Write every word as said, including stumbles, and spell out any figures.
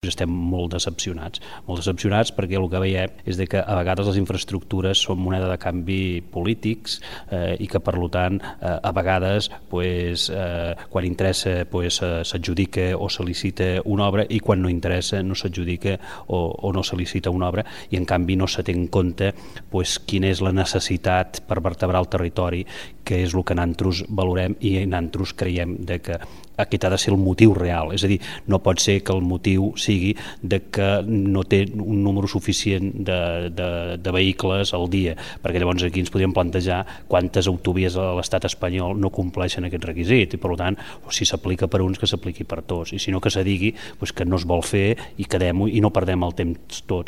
doncs estem molt decepcionats. Molt decepcionats perquè el que veiem és de que a vegades les infraestructures són moneda de canvi polítics eh, i que per tant eh, a vegades pues, eh, quan interessa pues, s'adjudica o se licita una obra i quan no interessa no s'adjudica o, o no se licita una obra i en canvi no se té en compte pues, quina és la necessitat per vertebrar el territori, que és el que nosaltres valorem i nosaltres creiem de que aquest ha de ser el motiu real, és a dir, no pot ser que el motiu sigui de que no té un número suficient de, de, de vehicles al dia, perquè llavors aquí ens podríem plantejar quantes autovies a l'estat espanyol no compleixen aquest requisit i per tant, si s'aplica per uns que s'apliqui per tots i si no que se digui pues, que no es vol fer i quedem-ho i no perdem el temps tots.